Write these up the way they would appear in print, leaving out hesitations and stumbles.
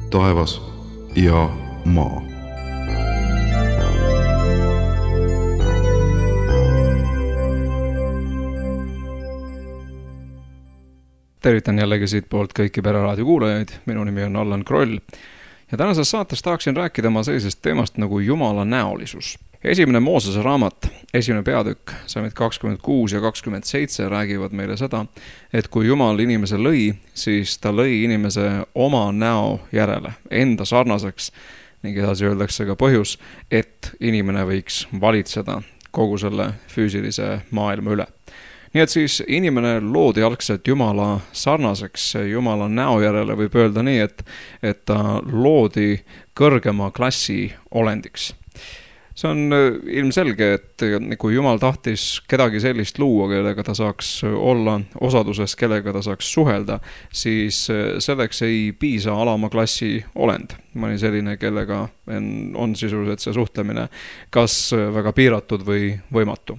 taevas ja maa. Tervitan jällegi siit poolt kõiki Pereraadio kuulajaid. Minu nimi on Allan Kroll. Ja tänases saates tahaksin rääkida ma sellisest teemast nagu Jumala näolisus. Esimene Moosese raamat, esimene peatükk, salmid 26 ja 27 räägivad meile seda, et kui Jumal inimese lõi, siis ta lõi inimese oma näo järele, enda sarnaseks, ning edasi öeldakse ka põhjus, et inimene võiks valitseda kogu selle füüsilise maailma üle. Nii et siis inimene loodi algselt Jumala sarnaseks, Jumala näo järele võib öelda nii, et ta loodi kõrgema klassi olendiks. See on ilmselge, et kui Jumal tahtis kedagi sellist luua, kellega ta saaks olla osaduses, kellega ta saaks suhelda, siis selleks ei piisa alama klassi olend. Mõni selline, kellega on sisuliselt see suhtlemine kas väga piiratud või võimatu.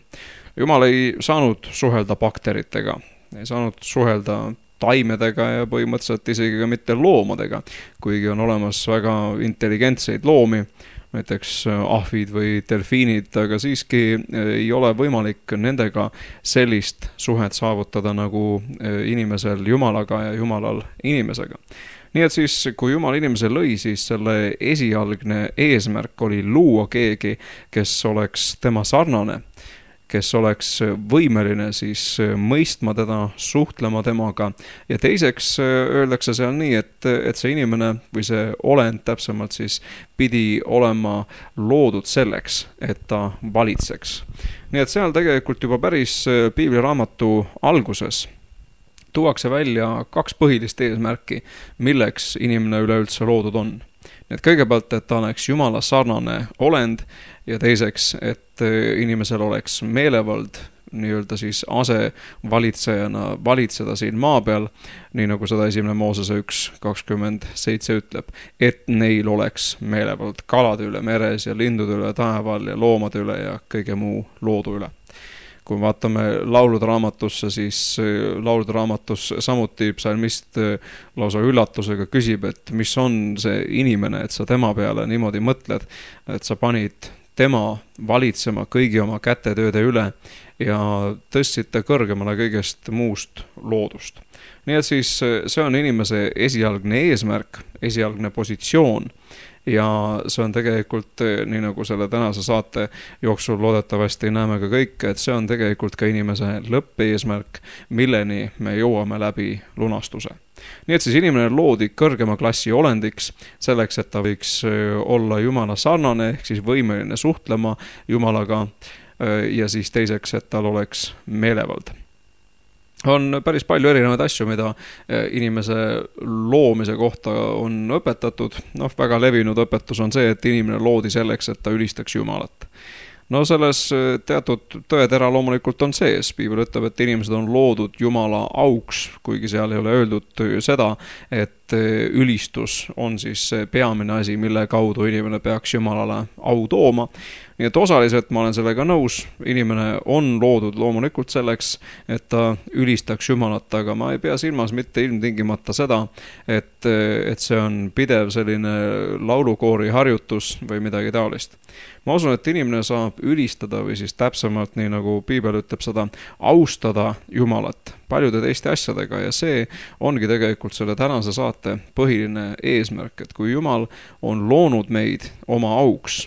Jumal ei saanud suhelda bakteritega, ei saanud suhelda taimedega ja põhimõtteliselt isegi ka mitte loomadega, kuigi on olemas väga intelligentseid loomi, näiteks ahvid või delfiinid, aga siiski ei ole võimalik nendega sellist suhet saavutada nagu inimesel Jumalaga ja Jumalal inimesega. Nii et siis, kui Jumal inimese lõi, siis selle esialgne eesmärk oli luua keegi, kes oleks tema sarnane, kes oleks võimeline siis mõistma teda, suhtlema temaga. Ja teiseks öeldakse seal nii, et see inimene või see olend täpsemalt siis pidi olema loodud selleks, et ta valitseks. Nii et seal tegelikult juba päris piibliraamatu alguses tuuakse välja kaks põhilist eesmärki, milleks inimene üleüldse loodud on. Nii et kõigepealt, et ta oleks Jumala sarnane olend ja teiseks, et inimesel oleks meelevald nii-öelda siis asevalitsejana valitseda siin maa peal, nii nagu seda esimene Moosese 1.27 ütleb, et neil oleks meelevald kalade üle meres ja lindude üle taeval ja loomade üle ja kõige muu loodu üle. Kui vaatame laulude raamatusse, siis laulude raamatus samuti psalmist lausa üllatusega küsib, et mis on see inimene, et sa tema peale niimoodi mõtled, et sa panid tema valitsema kõigi oma kätetööde üle ja tõstsid ta kõrgemale kõigest muust loodust. Nii et siis see on inimese esialgne eesmärk, esialgne positsioon ja see on tegelikult, nii nagu selle tänase saate jooksul loodetavasti näeme ka kõike, et see on tegelikult ka inimese lõppeesmärk, milleni me jõuame läbi lunastuse. Nii et siis inimene loodi kõrgema klassi olendiks selleks, et ta võiks olla Jumala sarnane, ehk siis võimeline suhtlema Jumalaga ja siis teiseks, et tal oleks meelevald. On päris palju erinevaid asju, mida inimese loomise kohta on õpetatud. Väga levinud õpetus on see, et inimene loodi selleks, et ta ülistaks Jumalat. Selles teatud tõetera loomulikult on sees. Piibel ütleb, et inimesed on loodud Jumala auks, kuigi seal ei ole öeldud seda, et ülistus on siis see peamine asi, mille kaudu inimene peaks Jumalale au tooma. Nii et osaliselt ma olen sellega nõus, inimene on loodud loomulikult selleks, et ta ülistaks Jumalat, aga ma ei pea silmas mitte ilmtingimata seda, et see on pidev selline laulukoori harjutus või midagi taolist. Ma usun, et inimene saab ülistada või siis täpsemalt, nii nagu Piibel ütleb seda, austada Jumalat paljude teiste asjadega ja see ongi tegelikult selle tänase saate põhiline eesmärk, et kui Jumal on loonud meid oma auks,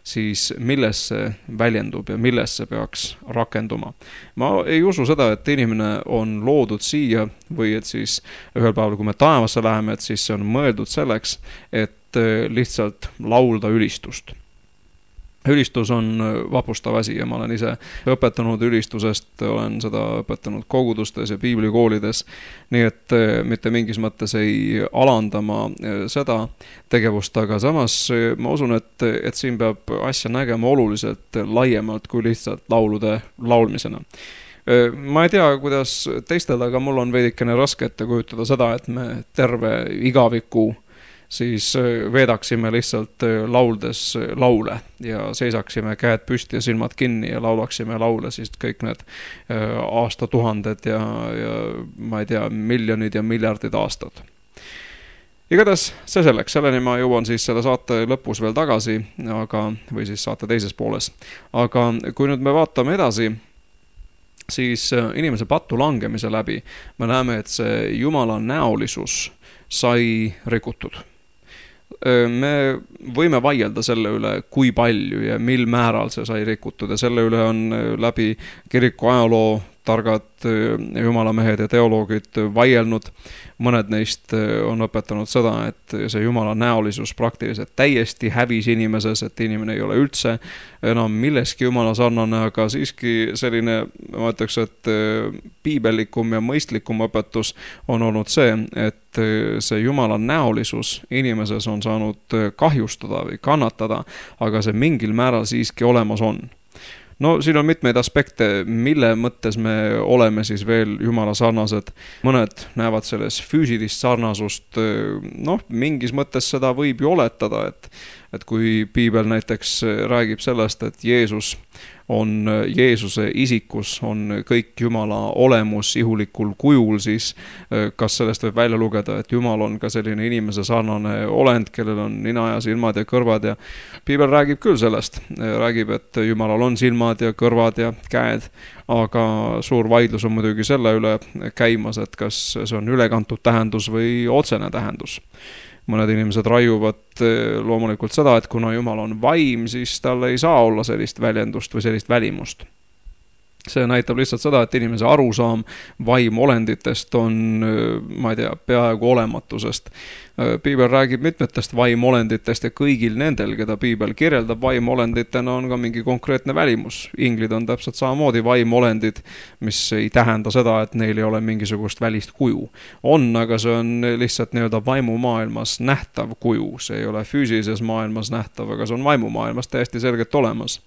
siis milles see väljendub ja milles see peaks rakenduma. Ma ei usu seda, et inimene on loodud siia või et siis ühel päeval, kui me taevasse läheme, et siis see on mõeldud selleks, et lihtsalt laulda ülistust. Ülistus on vapustav asi ja ma olen ise õpetanud ülistusest, olen seda õpetanud kogudustes ja piiblikoolides, nii et mitte mingis mõttes ei alandama seda tegevust, aga samas ma usun, et siin peab asja nägema oluliselt laiemalt kui lihtsalt laulude laulmisena. Ma ei tea, kuidas teistel, aga mul on veidikene raske ette kujutada seda, et me terve igaviku siis veedaksime lihtsalt lauldes laule ja seisaksime käed püsti ja silmad kinni ja laulaksime laule siis kõik need aastatuhanded ja ma ei tea, miljonid ja miljardid aastad. Igatahes see selleks, selleni ma jõuan siis selle saate lõpus veel tagasi, või siis saate teises pooles. Aga kui nüüd me vaatame edasi, siis inimese pattu langemise läbi me näeme, et see Jumala näolisus sai rikutud. Me võime vaielda selle üle, kui palju ja mil määral see sai rikutud ja selle üle on läbi kiriku ajaloo targad jumalamehed ja teoloogid vaielnud. Mõned neist on õpetanud seda, et see Jumala näolisus praktiliselt täiesti hävis inimeses, et inimene ei ole üldse enam milleski Jumala sarnane, aga siiski selline, ma ütleks, et piibellikum ja mõistlikum õpetus on olnud see, et see Jumala näolisus inimeses on saanud kahjustada või kannatada, aga see mingil määral siiski olemas on. No siin on mitmeid aspekte, mille mõttes me oleme siis veel Jumala sarnased. Mõned näevad selles füüsilist sarnasust, mingis mõttes seda võib ju oletada, et kui piibel näiteks räägib sellest, et Jeesuse isikus on kõik Jumala olemus ihulikul kujul, siis kas sellest võib välja lugeda, et Jumal on ka selline inimese sarnane olend, kellel on nina ja silmad ja kõrvad ja piibel räägib küll sellest, räägib, et Jumalal on silmad ja kõrvad ja käed, aga suur vaidlus on muidugi selle üle käimas, et kas see on ülekantud tähendus või otsene tähendus. Mõned inimesed raiuvad loomulikult seda, et kuna Jumal on vaim, siis tal ei saa olla sellist väljendust või sellist välimust. See näitab lihtsalt seda, et inimese arusaam vaimolenditest on, ma ei tea, peaaegu olematusest. Piibel räägib mitmetest vaimolenditest ja kõigil nendel, keda piibel kirjeldab vaimolenditena, on ka mingi konkreetne välimus. Inglid on täpselt samamoodi vaimolendid, mis ei tähenda seda, et neil ei ole mingisugust välist kuju. On, aga see on lihtsalt nii-öelda vaimumaailmas nähtav kuju. See ei ole füüsilises maailmas nähtav, aga see on vaimumaailmas täiesti selgelt olemas.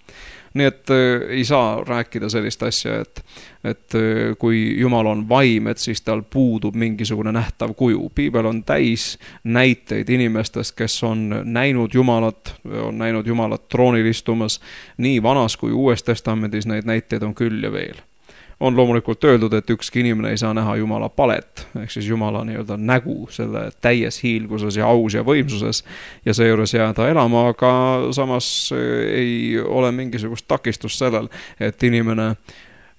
Nii et ei saa rääkida sellist asja, et kui Jumal on vaim, et siis tal puudub mingisugune nähtav kuju. Piibel on täis näiteid inimestest, kes on näinud Jumalat troonil istumas nii Vanas kui Uues Testamendis, neid näiteid on küll ja veel. On loomulikult öeldud, et ükski inimene ei saa näha Jumala palet, ehk siis Jumala nii-öelda nägu selle täies hiilguses ja aus ja võimsuses ja seejuures jääda elama, aga samas ei ole mingisugust takistust sellel, et inimene,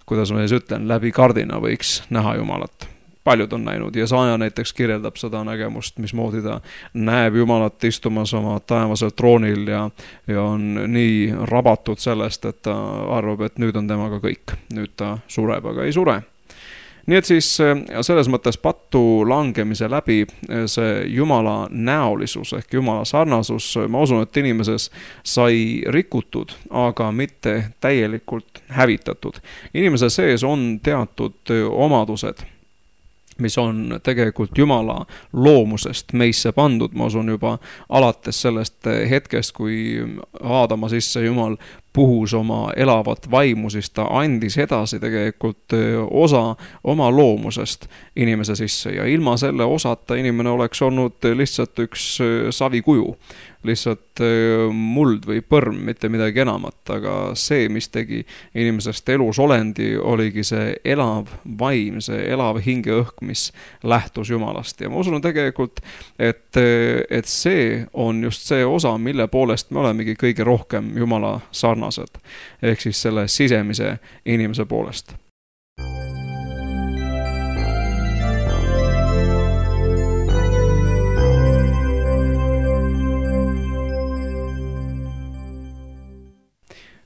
kuidas ma siis ütlen, läbi kardina võiks näha Jumalat. Paljud on näinud ja Jesaja näiteks kirjeldab seda nägemust, mismoodi ta näeb Jumalat istumas oma taevasel troonil ja on nii rabatud sellest, et ta arvab, et nüüd on temaga kõik. Nüüd ta sureb, aga ei sure. Nii et siis selles mõttes pattu langemise läbi see Jumala näolisus ehk Jumala sarnasus, ma usun, et inimeses sai rikutud, aga mitte täielikult hävitatud. Inimese sees on teatud omadused, mis on tegelikult Jumala loomusest meisse pandud, ma usun juba alates sellest hetkest, kui Aadama sisse Jumal puhus oma elavat vaimu, siis ta andis edasi tegelikult osa oma loomusest inimese sisse ja ilma selle osata inimene oleks olnud lihtsalt üks savikuju, lihtsalt muld või põrm, mitte midagi enamat, aga see, mis tegi inimesest elus olendi, oligi see elav vaim, see elav hingeõhk, mis lähtus Jumalast ja ma usun tegelikult, et see on just see osa, mille poolest me olemegi kõige rohkem Jumala sarnased, ehk siis selle sisemise inimese poolest.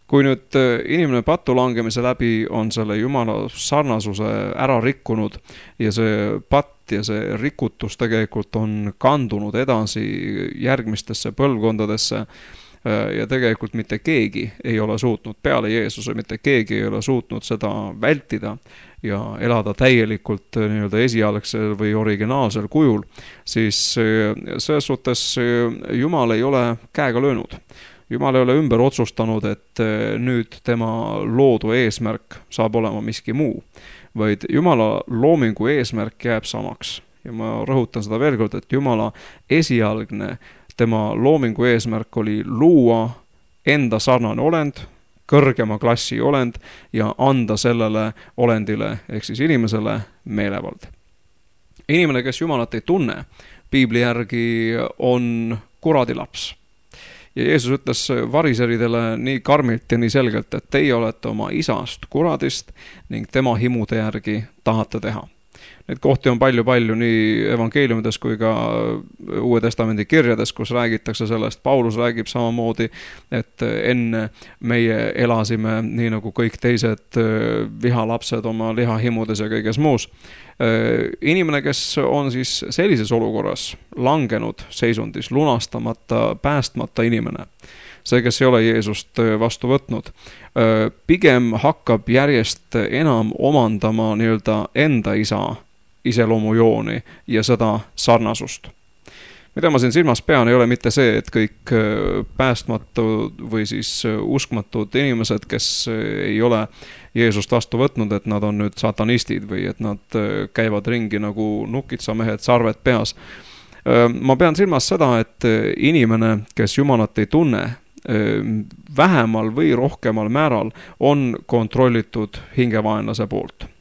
Kui nüüd inimene pattu langemise läbi on selle Jumala sarnasuse ära rikkunud ja see patt ja see rikutus tegelikult on kandunud edasi järgmistesse põlvkondadesse ja tegelikult mitte keegi ei ole suutnud peale Jeesuse, mitte keegi ei ole suutnud seda vältida ja elada täielikult nii-öelda esialgsel või originaalsel kujul, siis selles suhtes Jumal ei ole käega löönud. Jumal ei ole ümber otsustanud, et nüüd tema loodu eesmärk saab olema miski muu, vaid Jumala loomingu eesmärk jääb samaks. Ja ma rõhutan seda veel kord, et Jumala esialgne tema loomingu eesmärk oli luua enda sarnane olend, kõrgema klassi olend ja anda sellele olendile ehk siis inimesele meelevald. Inimene, kes Jumalat ei tunne, piibli järgi on kuradi laps. Ja Jeesus ütles variseridele nii karmilt ja nii selgelt, et teie olete oma isast kuradist ning tema himude järgi tahate teha. Neid kohti on palju nii evangeeliumides kui ka Uue Testamendi kirjades, kus räägitakse sellest. Paulus räägib samamoodi, et enne meie elasime nii nagu kõik teised vihalapsed oma lihahimudes ja kõiges muus. Inimene, kes on siis sellises olukorras langenud seisundis, lunastamata, päästmata inimene, see, kes ei ole Jeesust vastu võtnud, pigem hakkab järjest enam omandama nii-öelda enda isa iseloomujooni ja seda sarnasust. Mida ma siin silmas pean, ei ole mitte see, et kõik päästmatud või siis uskmatud inimesed, kes ei ole Jeesust vastu võtnud, et nad on nüüd satanistid või et nad käivad ringi nagu nukitsamehed, sarved peas. Ma pean silmas seda, et inimene, kes Jumalat ei tunne, vähemal või rohkemal määral on kontrollitud hingevaenlase poolt.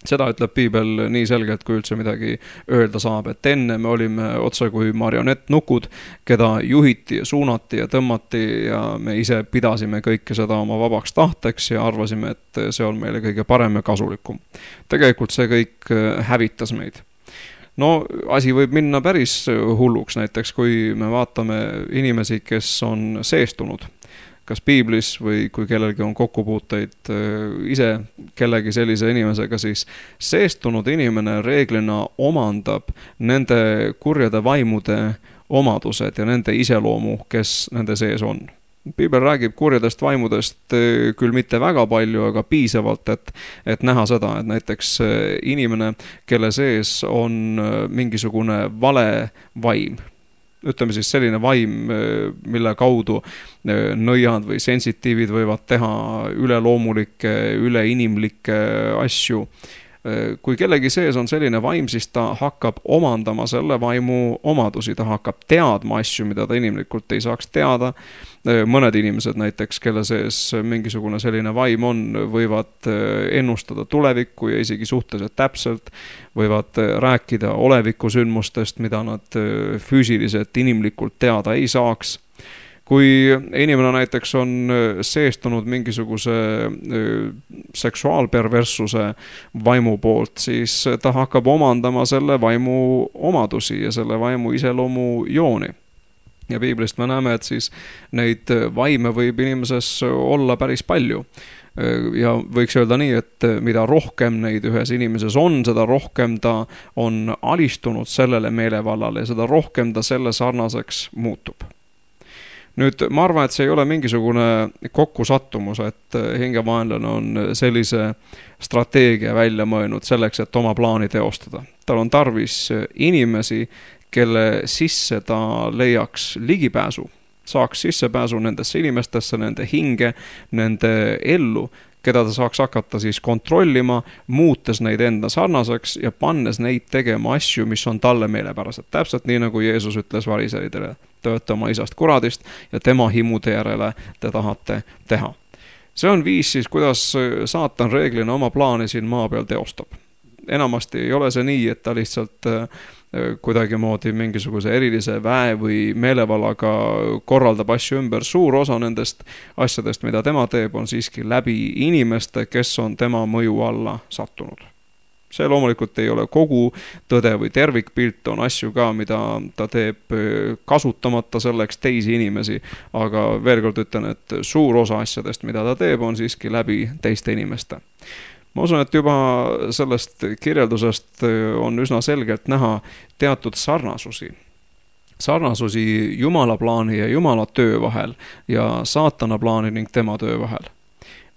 Seda ütleb piibel nii selgelt, kui üldse midagi öelda saab, et enne me olime otse kui marionettnukud, keda juhiti ja suunati ja tõmmati ja me ise pidasime kõike seda oma vabaks tahteks ja arvasime, et see on meile kõige parem ja kasulikum. Tegelikult see kõik hävitas meid. No asi võib minna päris hulluks, näiteks kui me vaatame inimesi, kes on seestunud, kas piiblis või kui kellelgi on kokkupuuteid ise kellegi sellise inimesega, siis seestunud inimene reeglina omandab nende kurjade vaimude omadused ja nende iseloomu, kes nende sees on. Piibel räägib kurjadest vaimudest küll mitte väga palju, aga piisavalt, et näha seda, et näiteks inimene, kelle sees on mingisugune vale vaim, ütleme siis selline vaim, mille kaudu nõiad või sensitiivid võivad teha üleloomulikke, üleinimlikke asju. Kui kellegi sees on selline vaim, siis ta hakkab omandama selle vaimu omadusi, ta hakkab teadma asju, mida ta inimlikult ei saaks teada. Mõned inimesed näiteks, kelle sees mingisugune selline vaim on, võivad ennustada tulevikku ja isegi suhteliselt täpselt, võivad rääkida olevikusündmustest, mida nad füüsiliselt inimlikult teada ei saaks. Kui inimene näiteks on seestunud mingisuguse seksuaalperverssuse vaimu poolt, siis ta hakkab omandama selle vaimu omadusi ja selle vaimu iseloomu jooni. Ja piiblist me näeme, et siis neid vaime võib inimeses olla päris palju. Ja võiks öelda nii, et mida rohkem neid ühes inimeses on, seda rohkem ta on alistunud sellele meelevallale ja seda rohkem ta selle sarnaseks muutub. Nüüd, ma arvan, et see ei ole mingisugune kokkusattumus, et hingevaenlane on sellise strateegia välja mõelnud selleks, et oma plaani teostada. Tal on tarvis inimesi, kelle sisse ta leiaks ligipääsu, saaks sissepääsu nendesse inimestesse, nende hinge, nende ellu, keda ta saaks hakata siis kontrollima, muutes neid enda sarnaseks ja pannes neid tegema asju, mis on talle meelepärased. Täpselt nii, nagu Jeesus ütles variseridele, te olete oma isast kuradist ja tema himude järele te tahate teha. See on viis siis, kuidas saatan reeglina oma plaani siin maa peal teostab. Enamasti ei ole see nii, et ta lihtsalt kuidagimoodi mingisuguse erilise väe või meelevallaga korraldab asju ümber. Suur osa nendest asjadest, mida tema teeb, on siiski läbi inimeste, kes on tema mõju alla sattunud. See loomulikult ei ole kogu tõde või tervikpilt, on asju ka, mida ta teeb kasutamata selleks teisi inimesi, aga veel kord ütlen, et suur osa asjadest, mida ta teeb, on siiski läbi teiste inimeste. Ma usun, et juba sellest kirjeldusest on üsna selgelt näha teatud sarnasusi. Sarnasusi Jumala plaani ja Jumala töö vahel ja saatana plaani ning tema töö vahel.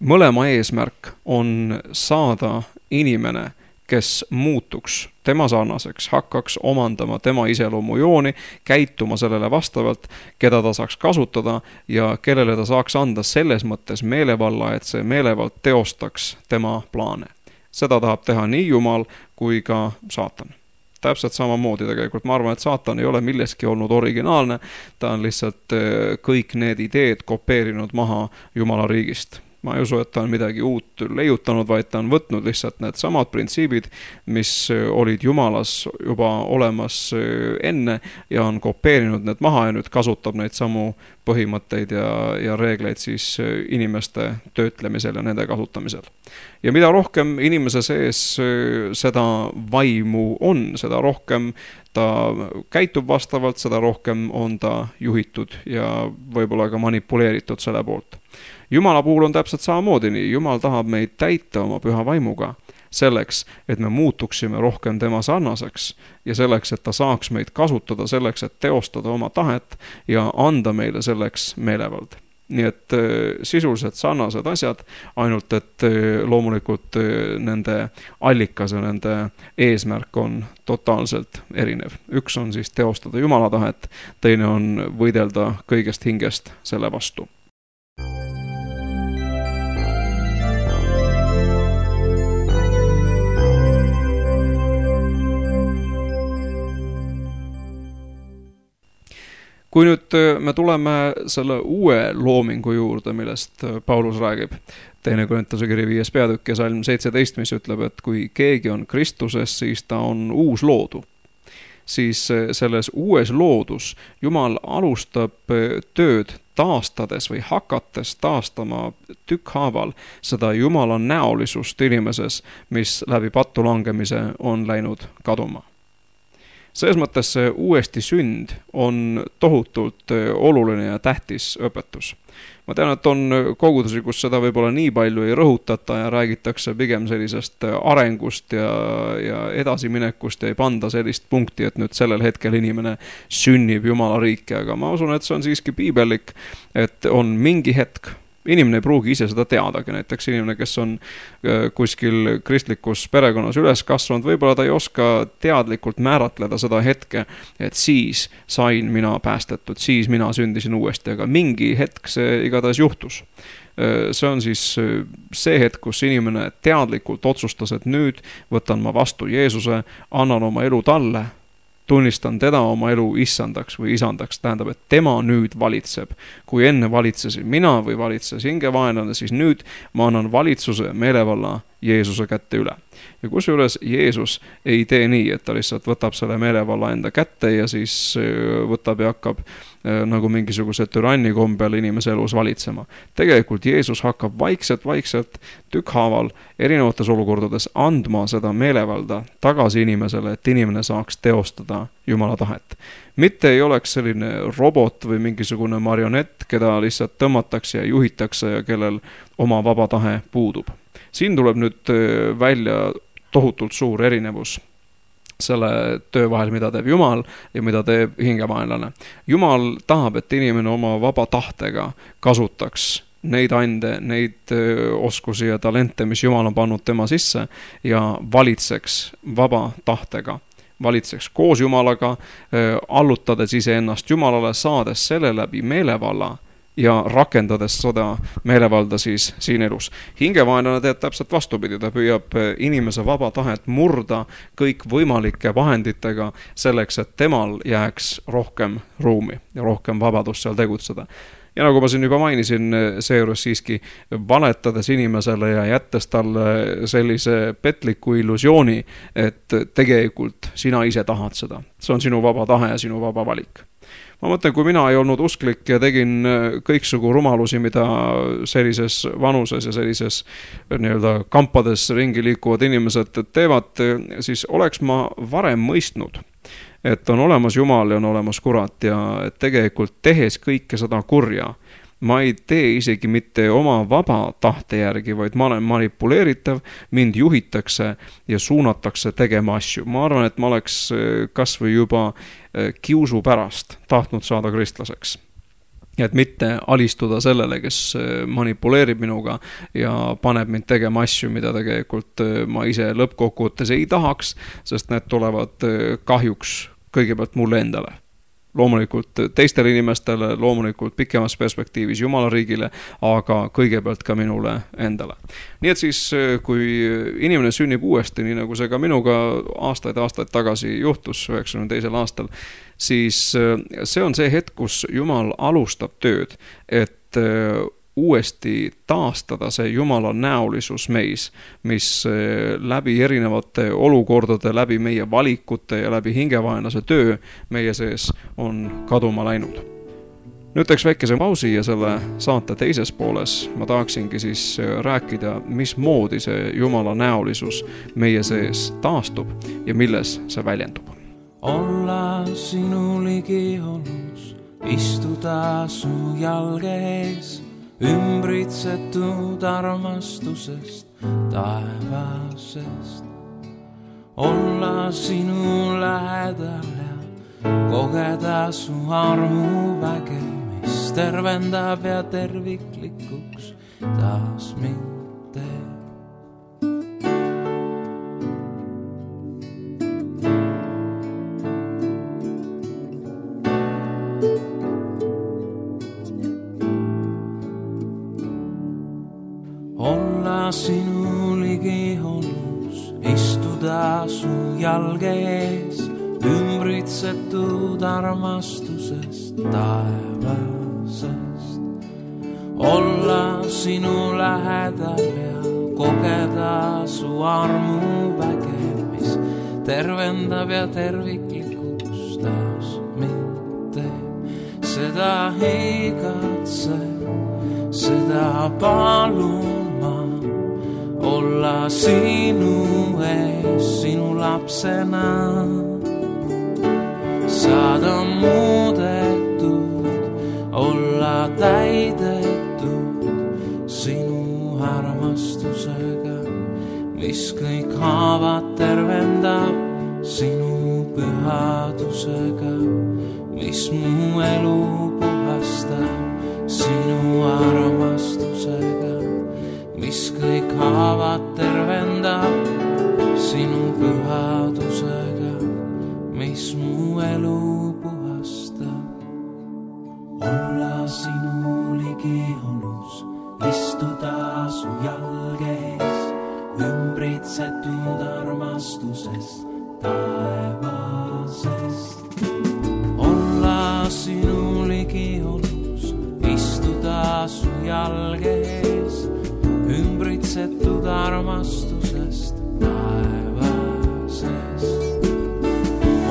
Mõlema eesmärk on saada inimene, kes muutuks tema sarnaseks, hakkaks omandama tema iseloomujooni, käituma sellele vastavalt, keda ta saaks kasutada ja kellele ta saaks anda selles mõttes meelevalla, et see meelevald teostaks tema plaane. Seda tahab teha nii Jumal kui ka saatan. Täpselt samamoodi tegelikult. Ma arvan, et saatan ei ole milleski olnud originaalne, ta on lihtsalt kõik need ideed kopeerinud maha Jumala riigist. Ma ei usu, et ta on midagi uut leiutanud, vaid ta on võtnud lihtsalt need samad printsiibid, mis olid Jumalas juba olemas enne ja on kopeerinud need maha ja nüüd kasutab neid samu põhimõtteid ja reegleid siis inimeste töötlemisel ja nende kasutamisel. Ja mida rohkem inimese sees seda vaimu on, seda rohkem ta käitub vastavalt, seda rohkem on ta juhitud ja võib-olla ka manipuleeritud selle poolt. Jumala puhul on täpselt samamoodi nii. Jumal tahab meid täita oma püha vaimuga selleks, et me muutuksime rohkem tema sarnaseks ja selleks, et ta saaks meid kasutada selleks, et teostada oma tahet ja anda meile selleks meelevald. Nii et sisuliselt sarnased asjad, ainult et loomulikult nende allikas ja nende eesmärk on totaalselt erinev. Üks on siis teostada Jumala tahet, teine on võidelda kõigest hingest selle vastu. Kui nüüd me tuleme selle uue loomingu juurde, millest Paulus räägib, 2. Korintuse kiri 5. peatükk ja salm 17, mis ütleb, et kui keegi on Kristuses, siis ta on uus loodu. Siis selles uues loodus Jumal alustab tööd taastades või hakates taastama tükkhaaval seda Jumala näolisust inimeses, mis läbi pattu langemise on läinud kaduma. Selles mõttes see uuesti sünd on tohutult oluline ja tähtis õpetus. Ma tean, et on kogudusi, kus seda võib-olla nii palju ei rõhutata ja räägitakse pigem sellisest arengust ja edasiminekust ja ei panda sellist punkti, et nüüd sellel hetkel inimene sünnib Jumala riiki, aga ma usun, et see on siiski piibellik, et on mingi hetk. Inimene ei pruugi ise seda teadagi, näiteks inimene, kes on kuskil kristlikus perekonnas üles kasvanud, võib-olla ta ei oska teadlikult määratleda seda hetke, et siis sain mina päästetud, siis mina sündisin uuesti, aga mingi hetk see igatahes juhtus. See on siis see hetk, kus inimene teadlikult otsustas, et nüüd võtan ma vastu Jeesuse, annan oma elu talle, tunnistan teda oma elu issandaks või isandaks, tähendab, et tema nüüd valitseb. Kui enne valitsesin mina või valitses hingevaenlane, siis nüüd ma annan valitsuse meelevalla Jeesuse kätte üle. Ja kusjuures Jeesus ei tee nii, et ta lihtsalt võtab selle meelevalla enda kätte ja siis võtab ja hakkab nagu mingisuguse türanni kombel inimese elus valitsema. Tegelikult Jeesus hakkab vaikselt tükkhaaval erinevates olukordades andma seda meelevalda tagasi inimesele, et inimene saaks teostada Jumala tahet. Mitte ei oleks selline robot või mingisugune marionett, keda lihtsalt tõmmatakse ja juhitakse ja kellel oma vaba tahe puudub. Siin tuleb nüüd välja tohutult suur erinevus selle töö vahel, mida teeb Jumal ja mida teeb hingevaenlane. Jumal tahab, et inimene oma vaba tahtega kasutaks neid ande, neid oskusi ja talente, mis Jumal on pannud tema sisse ja valitseks vaba tahtega. Valitseks koos Jumalaga, allutades iseennast Jumalale, saades selle läbi meelevalla ja rakendades seda meelevalda siis siin elus. Hingevaenlane teeb täpselt vastupidi, ta püüab inimese vaba tahet murda kõik võimalike vahenditega selleks, et temal jääks rohkem ruumi ja rohkem vabadust seal tegutseda. Ja nagu ma siin juba mainisin, seejuures siiski valetades inimesele ja jättes talle sellise petliku illusiooni, et tegelikult sina ise tahad seda. See on sinu vaba tahe ja sinu vaba valik. Ma mõtlen, kui mina ei olnud usklik ja tegin kõiksugu rumalusi, mida sellises vanuses ja sellises nii-öelda kampades ringi liikuvad inimesed teevad, siis oleks ma varem mõistnud, et on olemas Jumal ja on olemas kurat ja tegelikult tehes kõike seda kurja, ma ei tee isegi mitte oma vaba tahte järgi, vaid ma olen manipuleeritav, mind juhitakse ja suunatakse tegema asju. Ma arvan, et ma oleks kas või juba kiusu pärast tahtnud saada kristlaseks. Et mitte alistuda sellele, kes manipuleerib minuga ja paneb mind tegema asju, mida tegelikult ma ise lõppkokkuvõttes ei tahaks, sest need tulevad kahjuks kõigepealt mulle endale. Loomulikult teistele inimestele, loomulikult pikemas perspektiivis Jumala riigile, aga kõigepealt ka minule endale. Nii et siis, kui inimene sünnib uuesti, nii nagu see ka minuga aastaid tagasi juhtus 92. aastal, siis see on see hetk, kus Jumal alustab tööd, et uuesti taastada see Jumala näolisus meis, mis läbi erinevate olukordade, läbi meie valikute ja läbi hingevaenlase töö meie sees on kaduma läinud. Nüüd teeks väikese pausi ja selle saate teises pooles ma tahaksingi siis rääkida, mismoodi see Jumala näolisus meie sees taastub ja milles see väljendub. Olla sinu ligiolus, istuda su jalge ees, ümbritsetud armastusest, taevasest. Olla sinu lähedal ja kogeda su armu väge, mis tervendab ja terviklikuks taas mind teeb. Olla sinu ligiolus, istuda su jalge ees, ümbritsetud armastusest, taevasest. Olla sinu lähedal ja kogeda su armu väge, mis tervendab ja terviklikuks taas mind teeb. Seda igatsen, seda palun ma, olla sinu ees, sinu lapsena. Saada muudetud, olla täidetud sinu armastusega, mis kõik haavad tervendab, sinu pühadusega, mis mu elu puhastab, sinu armastusega, mis kõik haavad tervendab, sinu pühadusega, mis mu elu puhastab. Olla sinu ligiolus, istuda su jalge ees, ümbritsetud armastusest, taevasest. Olla sinu ligiolus, istuda su jalge ees, ümbritsetud armastusest, taevasest.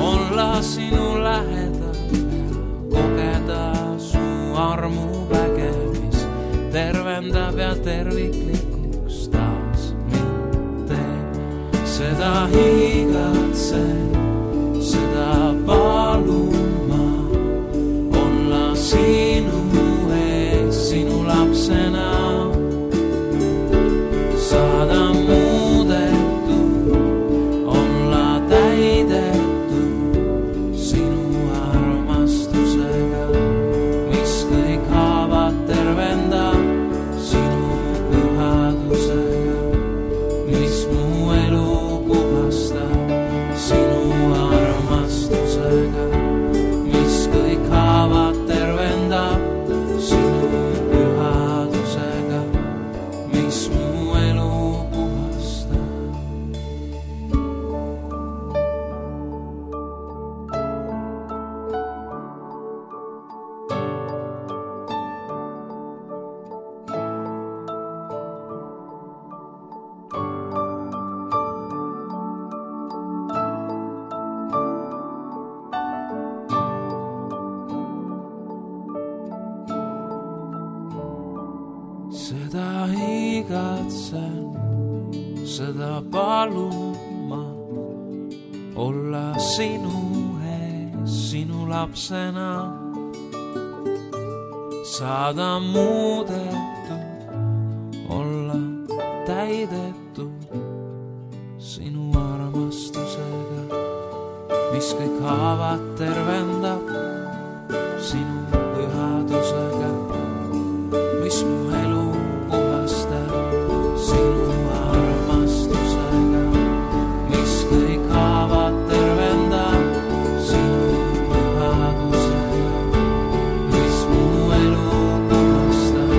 Olla sinu lähedal ja kogeda su armu väge, mis tervendab ja terviklikuks taas mind teeb. Seda igatsen, seda palun ma, olla sinu ees, sinu lapsena. Saada muudetud, olla täidetud sinu armastusega, mis kõik haavad tervendab, sinu pühadusega, mis mu elu puhastab, sinu armastusega, mis kõik haavad tervendab, sinu pühadusega, mis mu elu puhastab. Seda igatsen, seda palun ma, olla sinu ees, sinu lapsena. Saada muudetud, olla täidetud sinu armastusega, mis kõik haavad tervendab, sinu pühadusega, mis mu elu puhastab, sinu armastusega, mis kõik haavad tervendab, sinu pühadusega, mis mu elu puhastab,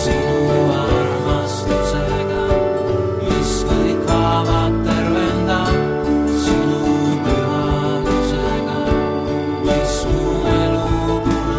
sinu armastusega, mis kõik haavad tervendab, sinu pühadusega, mis mu elu puhastab.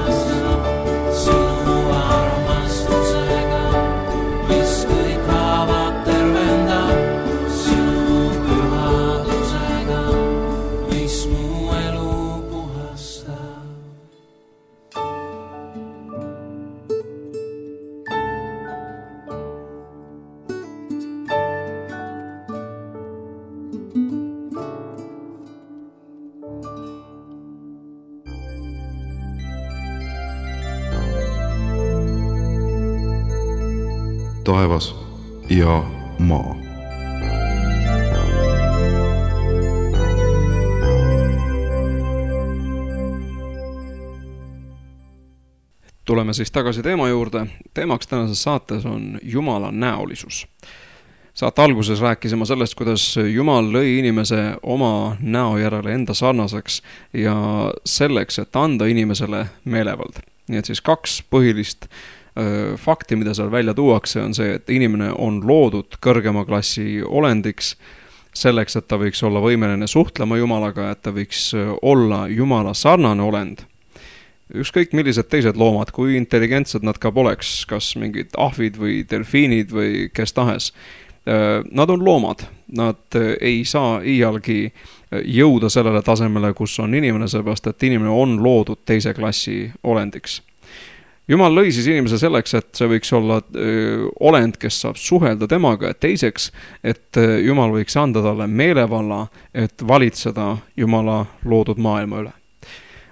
taevas ja maa. Tuleme siis tagasi teema juurde. Teemaks tänases saates on Jumala näolisus. Saate alguses rääkisime sellest, kuidas Jumal lõi inimese oma näo järele enda sarnaseks ja selleks, et anda inimesele meelevald. Nii et siis kaks põhilist fakti, mida seal välja tuuakse, on see, et inimene on loodud kõrgema klassi olendiks selleks, et ta võiks olla võimeline suhtlema Jumalaga, et ta võiks olla Jumala sarnane olend. Ükskõik millised teised loomad, kui intelligentsed nad ka poleks, kas mingid ahvid või delfiinid või kes tahes. Nad on loomad, nad ei saa iialgi jõuda sellele tasemele, kus on inimene, seepärast et inimene on loodud teise klassi olendiks. Jumal lõi siis inimese selleks, et see võiks olla olend, kes saab suhelda temaga, et teiseks, et Jumal võiks anda talle meelevalla, et valitseda Jumala loodud maailma üle.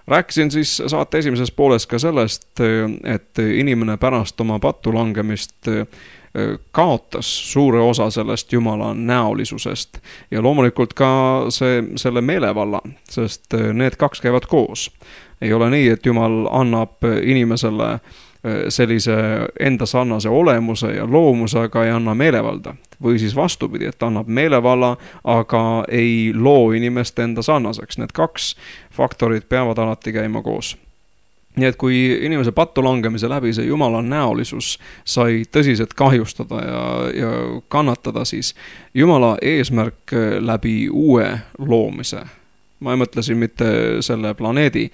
Rääkisin siis saate esimeses pooles ka sellest, et inimene pärast oma pattu langemist kaotas suure osa sellest Jumala näolisusest ja loomulikult ka selle meelevalla, sest need kaks käivad koos. Ei ole nii, et Jumal annab inimesele sellise enda sarnase olemuse ja loomuse, aga ei anna meelevalda. Või siis vastupidi, et annab meelevalla, aga ei loo inimest enda sarnaseks. Need kaks faktorid peavad alati käima koos. Nii et kui inimese pattu langemise läbi see Jumala näolisus sai tõsiselt kahjustada ja kannatada, siis Jumala eesmärk läbi uue loomise. Ma ei mõtle siin mitte selle planeedi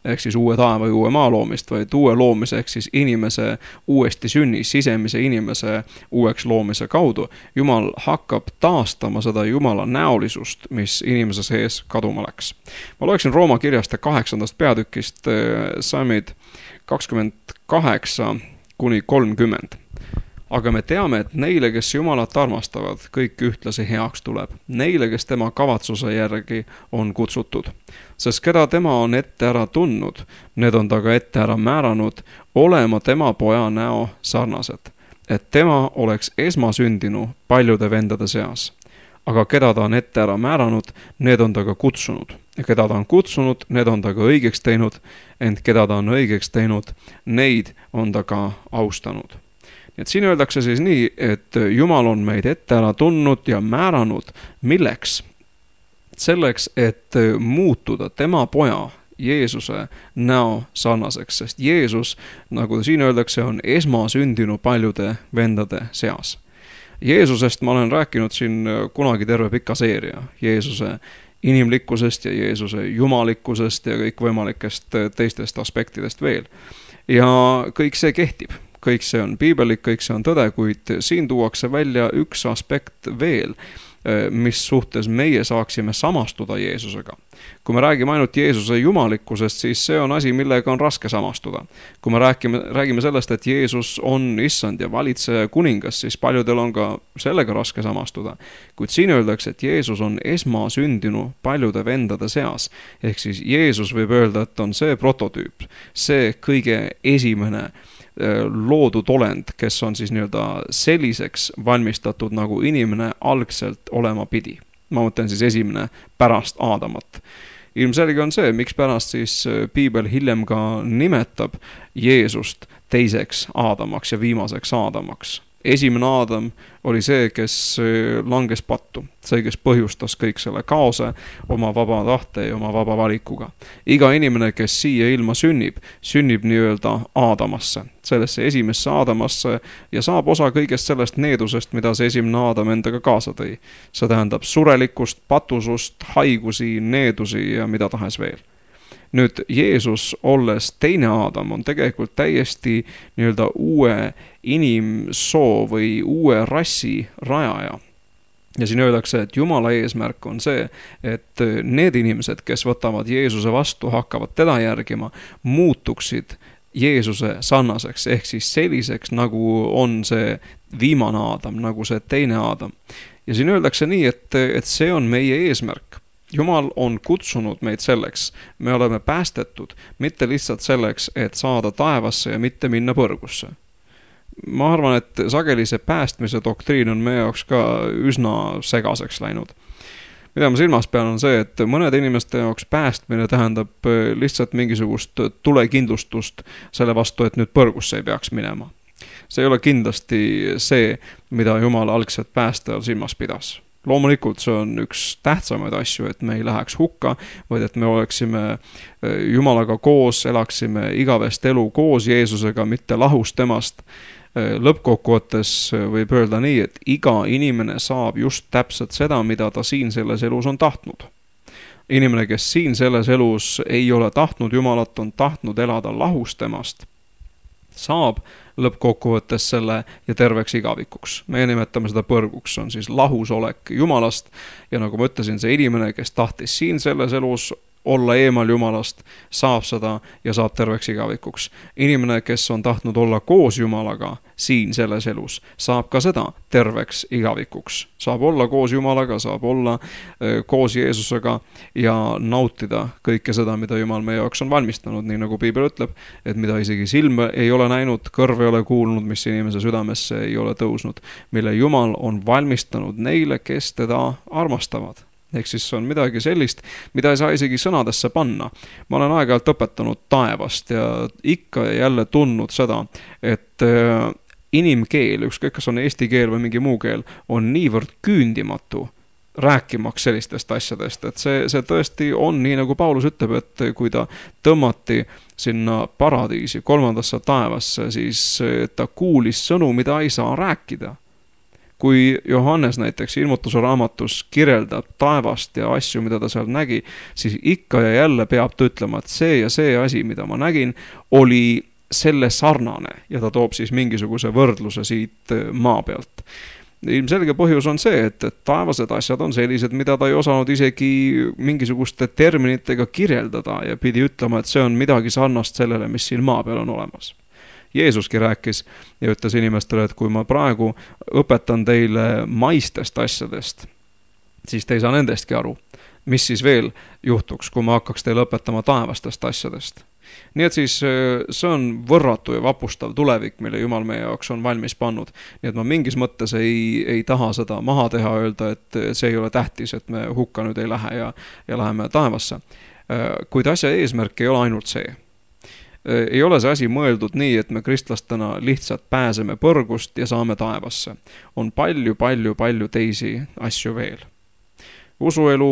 ehk siis uue taeva ja uue maa loomist, vaid uue loomise ehk siis inimese uuesti sünni, sisemise inimese uueks loomise kaudu. Jumal hakkab taastama seda Jumala näolisust, mis inimese sees kaduma läks. Ma loeksin Rooma kirjast 8. peatükist Salmid 28 kuni 30. Aga me teame, et neile, kes Jumalat armastavad, kõik ühtlasi heaks tuleb. Neile, kes tema kavatsuse järgi on kutsutud. Sest keda tema on ette ära tundnud, need on ta ka ette ära määranud, olema tema poja näo sarnased. Et tema oleks esmasündinu paljude vendade seas. Aga keda ta on ette ära määranud, need on ta ka kutsunud. Ja keda ta on kutsunud, need on ta ka õigeks teinud. Ent keda ta on õigeks teinud, neid on ta ka austanud. Nii et siin öeldakse siis nii, et Jumal on meid ette ära tundnud ja määranud milleks? Selleks, et muutuda tema poja Jeesuse näo sarnaseks, sest Jeesus, nagu siin öeldakse, on esmasündinu paljude vendade seas. Jeesusest ma olen rääkinud siin kunagi terve pika seeria. Jeesuse inimlikkusest ja Jeesuse jumalikkusest ja kõikvõimalikest teistest aspektidest veel. Ja kõik see kehtib. Kõik see on piibelik, kõik see on tõde, kuid siin tuuakse välja üks aspekt veel, mis suhtes meie saaksime samastuda Jeesusega. Kui me räägime ainult Jeesuse jumalikkusest, siis see on asi, millega on raske samastuda. Kui me räägime sellest, et Jeesus on issand ja valitseja kuningas, siis paljudel on ka sellega raske samastuda. Kuid siin öeldakse, et Jeesus on esmasündinu paljude vendade seas. Ehk siis Jeesus võib öelda, et on see prototüüp, see kõige esimene loodud olend, kes on siis selliseks valmistatud, nagu inimene algselt olema pidi. Ma mõtlen siis esimene pärast Aadamat. Ilmselge on see, miks pärast siis piibel hiljem ka nimetab Jeesust teiseks Aadamaks ja viimaseks Aadamaks. Esimene Aadam oli see, kes langes pattu, see, kes põhjustas kõik selle kaose oma vaba tahte ja oma vaba valikuga. Iga inimene, kes siia ilma sünnib nii-öelda Aadamasse, sellesse esimesse Aadamasse ja saab osa kõigest sellest needusest, mida see esimene Aadam endaga kaasa tõi. See tähendab surelikkust, patusust, haigusi, needusi ja mida tahes veel. Nüüd Jeesus, olles teine Aadam, on tegelikult täiesti nii-öelda uue inimsoo või uue rassi rajaja. Ja siin öeldakse, et Jumala eesmärk on see, et need inimesed, kes võtavad Jeesuse vastu, hakkavad teda järgima, muutuksid Jeesuse sarnaseks, ehk siis selliseks, nagu on see viimane Aadam, nagu see teine Aadam. Ja siin öeldakse nii, et see on meie eesmärk. Jumal on kutsunud meid selleks, me oleme päästetud, mitte lihtsalt selleks, et saada taevasse ja mitte minna põrgusse. ma arvan, et sageli see päästmise doktriin on meie jaoks ka üsna segaseks läinud. Mida ma silmas pean on see, et mõnede inimeste jaoks päästmine tähendab lihtsalt mingisugust tulekindlustust selle vastu, et nüüd põrgusse ei peaks minema. See ei ole kindlasti see, mida Jumal algselt päästajal silmas pidas. Loomulikult see on üks tähtsamaid asju, et me ei läheks hukka, vaid et me oleksime Jumalaga koos, elaksime igavest elu koos Jeesusega, mitte lahus temast. Lõppkokkuvõttes võib öelda nii, et iga inimene saab just täpselt seda, mida ta siin selles elus on tahtnud. Inimene, kes siin selles elus ei ole tahtnud Jumalat, on tahtnud elada lahus temast, saab lõppkokkuvõttes selle ja terveks igavikuks. Me nimetame seda põrguks, on siis lahusolek Jumalast ja nagu ma ütlesin, see inimene, kes tahtis siin selles elus olla eemal Jumalast, saab seda ja saab terveks igavikuks. Inimene, kes on tahtnud olla koos Jumalaga siin selles elus, saab ka seda terveks igavikuks. Saab olla koos Jumalaga, saab olla koos Jeesusega ja nautida kõike seda, mida Jumal meie jaoks on valmistanud, nii nagu Piibel ütleb, et mida isegi silm ei ole näinud, kõrv ei ole kuulnud, mis inimese südamesse ei ole tõusnud, mille Jumal on valmistanud neile, kes teda armastavad. Ehk siis on midagi sellist, mida ei saa isegi sõnadesse panna. Ma olen aeg-ajalt õpetanud taevast ja ikka jälle tundnud seda, et inimkeel, ükskõik kas on eesti keel või mingi muu keel, on niivõrd küündimatu rääkimaks sellistest asjadest, et see tõesti on nii, nagu Paulus ütleb, et kui ta tõmmati sinna paradiisi, 3. taevasse, siis ta kuulis sõnu, mida ei saa rääkida. Kui Johannes näiteks ilmutuse raamatus kirjeldab taevast ja asju, mida ta seal nägi, siis ikka ja jälle peab ta ütlema, et see ja see asi, mida ma nägin, oli selle sarnane ja ta toob siis mingisuguse võrdluse siit maa pealt. Ilmselge põhjus on see, et taevased asjad on sellised, mida ta ei osanud isegi mingisuguste terminitega kirjeldada ja pidi ütlema, et see on midagi sarnast sellele, mis siin maa peal on olemas. Jeesuski rääkis ja ütles inimestele, et kui ma praegu õpetan teile maistest asjadest, siis te ei saa nendestki aru. Mis siis veel juhtuks, kui ma hakkaks teile õpetama taevastest asjadest? Nii et siis see on võrratu ja vapustav tulevik, mille Jumal meie jaoks on valmis pannud. Nii et ma mingis mõttes ei taha seda maha teha, öelda, et see ei ole tähtis, et me hukka nüüd ei lähe ja läheme taevasse. Kuid asja eesmärk ei ole ainult see. Ei ole see asi mõeldud nii, et me kristlastena lihtsalt pääseme põrgust ja saame taevasse. On palju teisi asju veel. Usuelu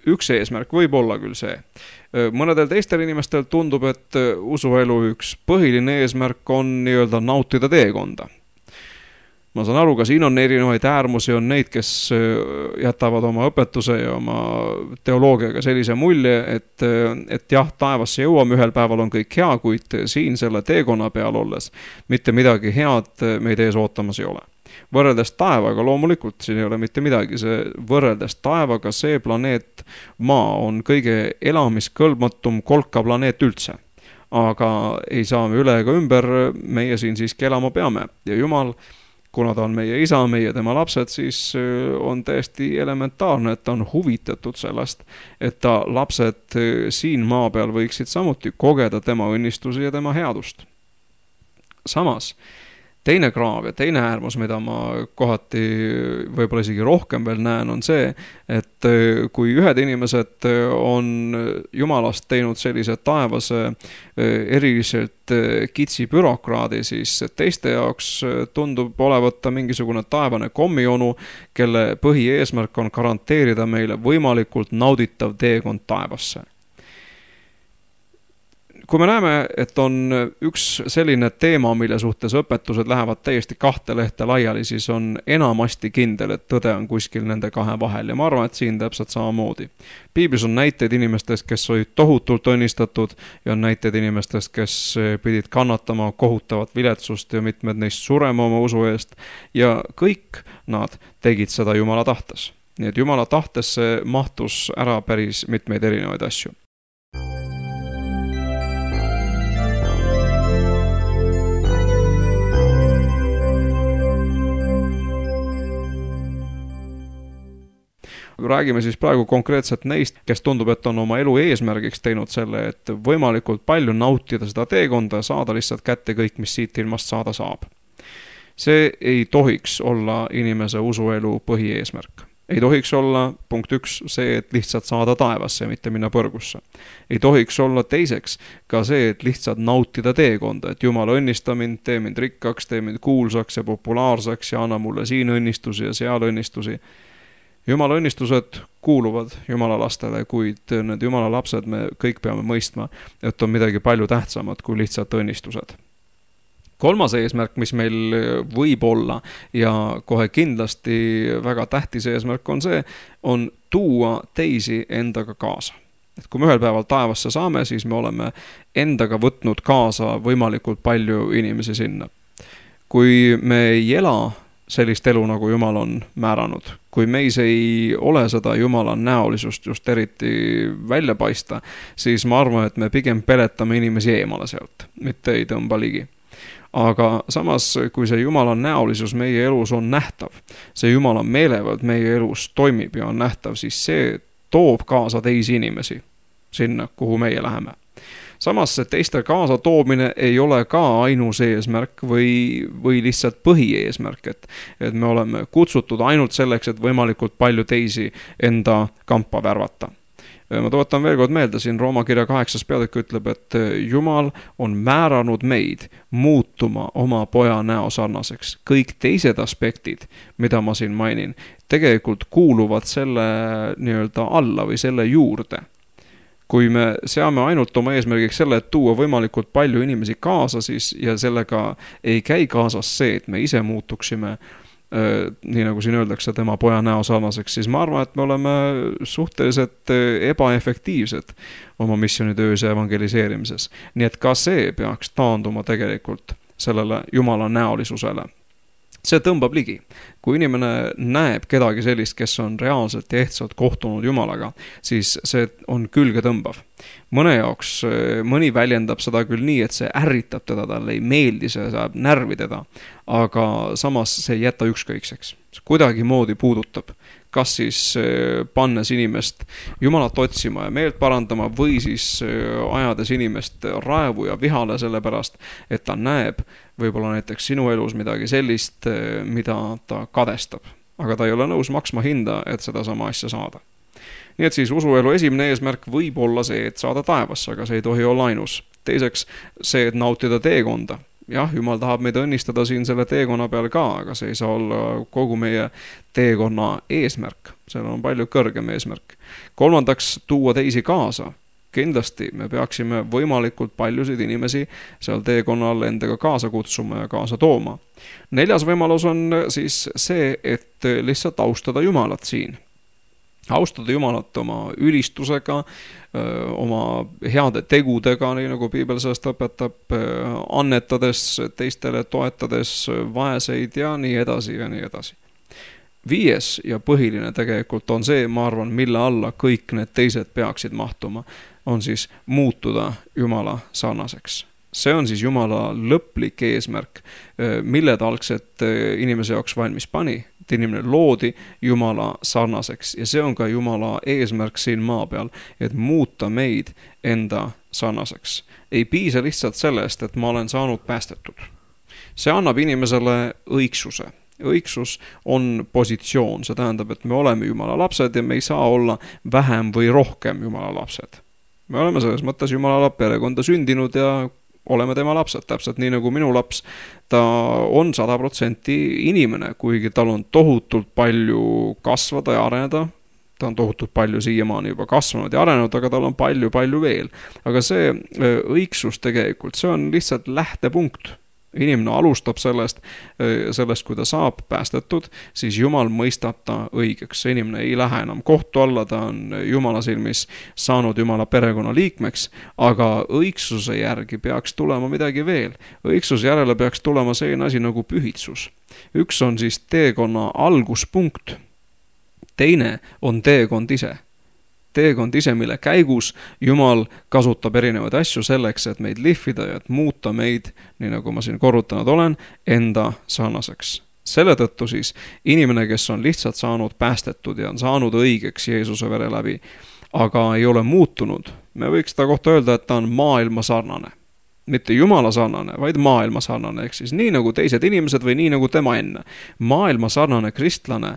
üks eesmärk võib olla küll see. Mõnedel teistel inimestel tundub, et usuelu üks põhiline eesmärk on nii-öelda nautida teekonda. Ma saan aru, ka siin on erinevaid äärmusi, on neid, kes jätavad oma õpetuse ja oma teoloogiaga sellise mulje, et jah, taevasse jõuame, ühel päeval on kõik hea, kuid siin selle teekonna peal olles mitte midagi head meid ees ootamas ei ole. Võrreldes taevaga loomulikult siin ei ole mitte midagi, võrreldes taevaga see planeet Maa on kõige elamiskõlbmatum kolka planeet üldse. Aga ei saa me üle ega ümber, meie siin siiski elama peame ja Jumal, kuna ta on meie isa, meie tema lapsed, siis on täiesti elementaarne, et ta on huvitatud sellest, et ta lapsed siin maa peal võiksid samuti kogeda tema õnnistusi ja tema headust. Samas, teine kraav ja teine äärmus, mida ma kohati võib-olla isegi rohkem veel näen, on see, et kui ühed inimesed on Jumalast teinud sellise taevase eriliselt kitsi bürokraadi, siis teiste jaoks tundub olevat mingisugune taevane kommionu, kelle põhieesmärk on garanteerida meile võimalikult nauditav teekond taevasse. Kui me näeme, et on üks selline teema, mille suhtes õpetused lähevad täiesti kahte lehte laiali, siis on enamasti kindel, et tõde on kuskil nende kahe vahel ja ma arvan, et siin täpselt samamoodi. Piiblis on näiteid inimestest, kes olid tohutult õnnistatud ja on näiteid inimestest, kes pidid kannatama kohutavat viletsust ja mitmed neist surema oma usu eest ja kõik nad tegid seda Jumala tahtes. Nii et Jumala tahtesse mahtus ära päris mitmeid erinevaid asju. Räägime siis praegu konkreetselt neist, kes tundub, et on oma elu eesmärgiks teinud selle, et võimalikult palju nautida seda teekonda ja saada lihtsalt kätte kõik, mis siit ilmast saada saab. See ei tohiks olla inimese usuelu põhieesmärk. Ei tohiks olla, punkt 1, see, et lihtsalt saada taevasse, mitte minna põrgusse. Ei tohiks olla teiseks ka see, et lihtsalt nautida teekonda, et Jumal õnnista mind, tee mind rikkaks, tee mind kuulsaks ja populaarsaks ja anna mulle siin õnnistusi ja seal õnnistusi. Jumala õnnistused kuuluvad Jumala lastele, kuid need Jumala lapsed me kõik peame mõistma, et on midagi palju tähtsamat kui lihtsalt õnnistused. Kolmas eesmärk, mis meil võib olla ja kohe kindlasti väga tähtis eesmärk on see, on tuua teisi endaga kaasa. Et kui me ühel päeval taevasse saame, siis me oleme endaga võtnud kaasa võimalikult palju inimesi sinna. Kui me ei ela sellist elu, nagu Jumal on määranud, kui meis ei ole seda Jumala näolisust just eriti välja paista, siis ma arvan, et me pigem peletame inimesi eemale sealt, mitte ei tõmba ligi. Aga samas, kui see Jumala näolisus meie elus on nähtav, see Jumala meelevald meie elus toimib ja on nähtav, siis see toob kaasa teisi inimesi sinna, kuhu meie läheme. Samas see teiste kaasa toomine ei ole ka ainus eesmärk või lihtsalt põhieesmärk, et me oleme kutsutud ainult selleks, et võimalikult palju teisi enda kampa värvata. Ma tuletan veel kord meelde, siin Rooma kirja 8. peatükk ütleb, et Jumal on määranud meid muutuma oma poja näo sarnaseks. Kõik teised aspektid, mida ma siin mainin, tegelikult kuuluvad selle nii-öelda alla või selle juurde. Kui me seame ainult oma eesmärgiks selle, et tuua võimalikult palju inimesi kaasa, siis ja sellega ei käi kaasas see, et me ise muutuksime nii nagu siin öeldakse tema poja näo sarnaseks, siis ma arvan, et me oleme suhteliselt ebaefektiivsed oma missioonitöös ja evangeliseerimises. Nii et ka see peaks taanduma tegelikult sellele Jumala näolisusele. See tõmbab ligi. Kui inimene näeb kedagi sellist, kes on reaalselt ja ehtsalt kohtunud Jumalaga, siis see on külge tõmbav. Mõne jaoks, mõni väljendab seda küll nii, et see ärritab teda, talle ei meeldi, see saab närvi teda, aga samas see ei jäta ükskõikseks. Kuidagi moodi puudutab, kas siis pannes inimest Jumalat otsima ja meelt parandama või siis ajades inimest raevu ja vihale selle pärast, et ta näeb võib-olla näiteks sinu elus midagi sellist, mida ta kadestab. Aga ta ei ole nõus maksma hinda, et seda sama asja saada. Nii et siis usuelu esimene eesmärk võib olla see, et saada taevasse, aga see ei tohi olla ainus. Teiseks see, et nautida teekonda. Jah, Jumal tahab meid õnnistada siin selle teekonna peal ka, aga see ei saa olla kogu meie teekonna eesmärk. Seal on palju kõrgem eesmärk. Kolmandaks, tuua teisi kaasa. Kindlasti me peaksime võimalikult paljusid inimesi seal teekonnal endaga kaasa kutsuma ja kaasa tooma. Neljas võimalus on siis see, et lihtsalt austada Jumalat siin. Austada Jumalat oma ülistusega, oma heade tegudega, nii nagu Piibel sellest õpetab, annetades teistele, toetades vaeseid ja nii edasi ja nii edasi. Viies ja põhiline tegelikult on see, ma arvan, mille alla kõik need teised peaksid mahtuma, on siis muutuda Jumala sarnaseks. See on siis Jumala lõplik eesmärk, mille ta algselt inimese jaoks valmis pani. Et inimene loodi Jumala sarnaseks ja see on ka Jumala eesmärk siin maa peal, et muuta meid enda sarnaseks. Ei piisa lihtsalt sellest, et ma olen saanud päästetud. See annab inimesele õigsuse. Õigsus on positsioon, see tähendab, et me oleme Jumala lapsed ja me ei saa olla vähem või rohkem Jumala lapsed. Me oleme selles mõttes Jumala perekonda sündinud ja oleme tema lapsed, täpselt nii nagu minu laps. Ta on 100% inimene, kuigi tal on tohutult palju kasvada ja areneda. Ta on tohutult palju siiamaani juba kasvanud ja arenenud, aga tal on palju veel. Aga see õigsus tegelikult, see on lihtsalt lähtepunkt. Inimene alustab sellest, kui ta saab päästetud, siis Jumal mõistab ta õigeks. See inimene ei lähe enam kohtu alla, ta on Jumala silmis saanud Jumala perekonna liikmeks, aga õigsuse järgi peaks tulema midagi veel. Õigsuse järele peaks tulema selline asi nagu pühitsus. Üks on siis teekonna alguspunkt, teine on teekond ise. Teekond ise, mille käigus Jumal kasutab erinevaid asju selleks, et meid lihvida ja et muuta meid, nii nagu ma siin korrutanud olen, enda sarnaseks. Selle tõttu siis inimene, kes on lihtsalt saanud päästetud ja on saanud õigeks Jeesuse vere läbi, aga ei ole muutunud, me võiks seda kohta öelda, et ta on maailma sarnane. mitte Jumala sarnane, vaid maailma sarnane, ehk siis nii nagu teised inimesed või nii nagu tema enne. Maailma sarnane kristlane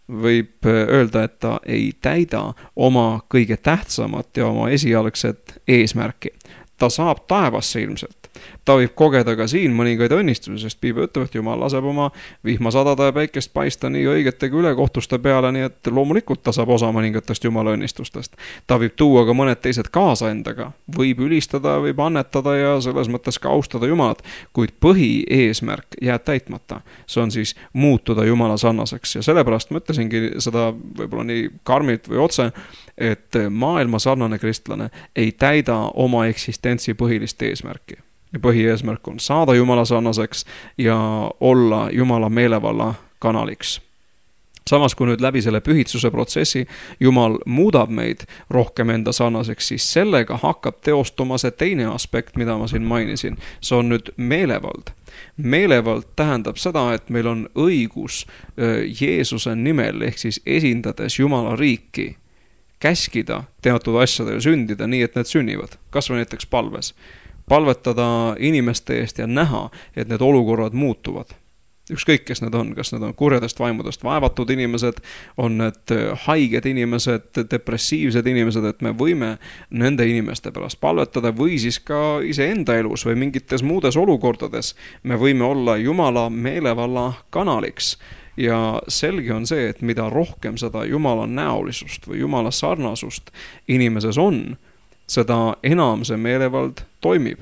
võib öelda, et ta ei täida oma kõige tähtsamat ja oma esialgset eesmärki. Ta saab taevasse ilmselt. Ta võib kogeda ka siin mõningaid õnnistusi, sest Piibel ütleb, et Jumal laseb oma vihma sadada ja päikest paista nii õigete kui ülekohtuste peale, nii et loomulikult ta saab osa mõningatest Jumala õnnistustest. Ta võib tuua ka mõned teised kaasa endaga, võib ülistada, võib annetada ja selles mõttes ka austada Jumalat, kuid põhieesmärk jääb täitmata. See on siis muutuda Jumala sarnaseks ja sellepärast ma ütlesingi seda võib-olla nii karmilt või otse, et maailma sarnane kristlane ei täida oma eksistentsi põhilist eesmärki. Ja põhieesmärk on saada Jumala sarnaseks ja olla Jumala meelevalla kanaliks. Samas, kui nüüd läbi selle pühitsuse protsessi Jumal muudab meid rohkem enda sarnaseks, siis sellega hakkab teostuma see teine aspekt, mida ma siin mainisin. See on nüüd meelevald. Meelevald tähendab seda, et meil on õigus Jeesuse nimel ehk siis esindades Jumala riiki käskida teatud asjadel sündida nii, et need sünnivad. Kas või näiteks palves. Palvetada inimeste eest ja näha, et need olukorrad muutuvad. Ükskõik, kes need on, kas need on kurjadest vaimudest vaevatud inimesed, on need haiged inimesed, depressiivsed inimesed, et me võime nende inimeste pärast palvetada või siis ka iseenda elus või mingites muudes olukordades. Me võime olla Jumala meelevalla kanaliks. Ja selge on see, et mida rohkem seda Jumala näolisust või Jumala sarnasust inimeses on, seda enam see meelevald toimib.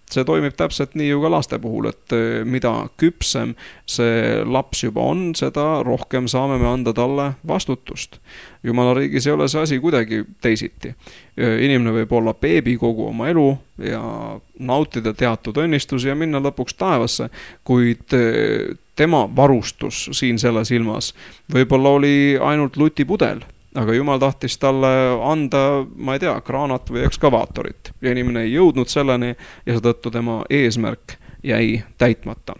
See toimib täpselt nii ju ka laste puhul, et mida küpsem see laps juba on, seda rohkem saame me anda talle vastutust. Jumala riigis ei ole see asi kuidagi teisiti. Inimene võib olla beebi kogu oma elu ja nautida teatud õnnistusi ja minna lõpuks taevasse, kuid tema varustus siin selles ilmas võib-olla oli ainult lutipudel. Aga Jumal tahtis talle anda, ma ei tea, kraanat või ekskavaatorit. Ja inimene ei jõudnud selleni ja seetõttu tema eesmärk jäi täitmata.